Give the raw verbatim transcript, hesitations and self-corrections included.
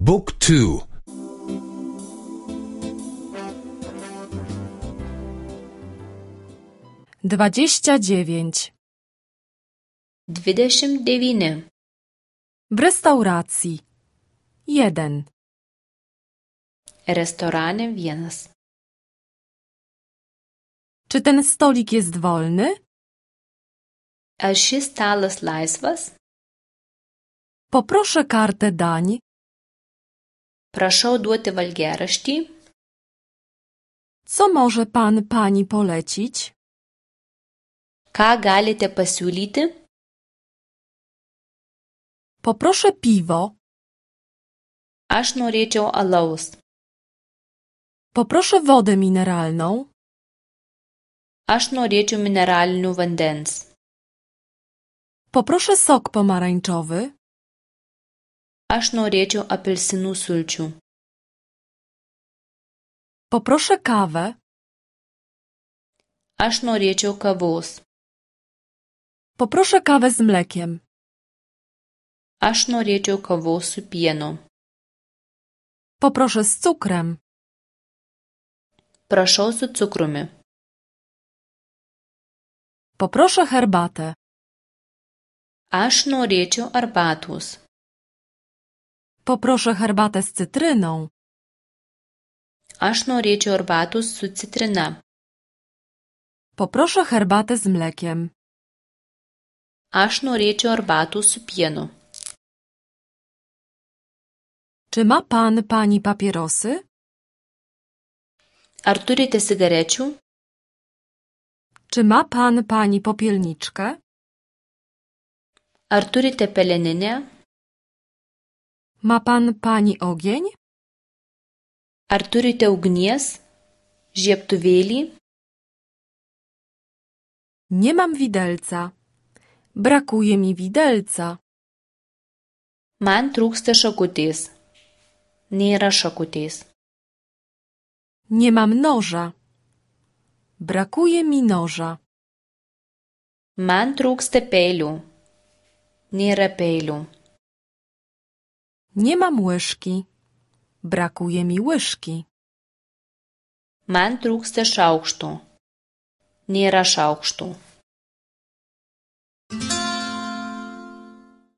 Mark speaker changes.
Speaker 1: Book two.
Speaker 2: Dwadzieścia dziewięć.
Speaker 3: Dvidešimt devyni.
Speaker 2: W restauracji. Jeden.
Speaker 3: Restorane vienas.
Speaker 2: Czy ten stolik jest wolny?
Speaker 3: Ar šis stalas laisvas?
Speaker 2: Poproszę kartę dań.
Speaker 3: Prašau duoti valgiaraštį.
Speaker 2: Co może pan pani polecić?
Speaker 3: Ką galite pasiūlyti?
Speaker 2: Poproszę piwo.
Speaker 3: Aš norėčiau alaus.
Speaker 2: Poproszę wodę mineralną.
Speaker 3: Aš norėčiau mineralinių vandens.
Speaker 2: Poproszę sok pomarańczowy.
Speaker 3: Aš norėčiau apelsinų sulčių.
Speaker 2: Poproszę kawę.
Speaker 3: Aš norėčiau kavos.
Speaker 2: Poproszę kawę z mlekiem.
Speaker 3: Aš norėčiau kavos su pienu.
Speaker 2: Poproszę z cukrem.
Speaker 3: Prašau su cukrumi.
Speaker 2: Poproszę herbatę.
Speaker 3: Aš norėčiau arbatos.
Speaker 2: Poproszę herbatę z cytryną.
Speaker 3: Aš norėčiau arbatos su citrina.
Speaker 2: Poproszę herbatę z mlekiem.
Speaker 3: Aš norėčiau arbatos su pienu.
Speaker 2: Czy ma pan pani papierosy?
Speaker 3: Ar turite cigarečių?
Speaker 2: Czy ma pan pani popielniczkę?
Speaker 3: Ar turite peleninę?
Speaker 2: Ma pan pani ogień?
Speaker 3: Ar turite ugnies? Žiebtuvėlį?
Speaker 2: Nie mam widelca. Brakuje mi widelca.
Speaker 3: Man trūksta šakutės. Nėra šakutės.
Speaker 2: Nie mam noża. Brakuje mi noża.
Speaker 3: Man trūksta peilių. Nėra peilių.
Speaker 2: Nie mam łyżki. Brakuje mi łyżki.
Speaker 3: Man trūksta šaukštų. Nėra šaukštų.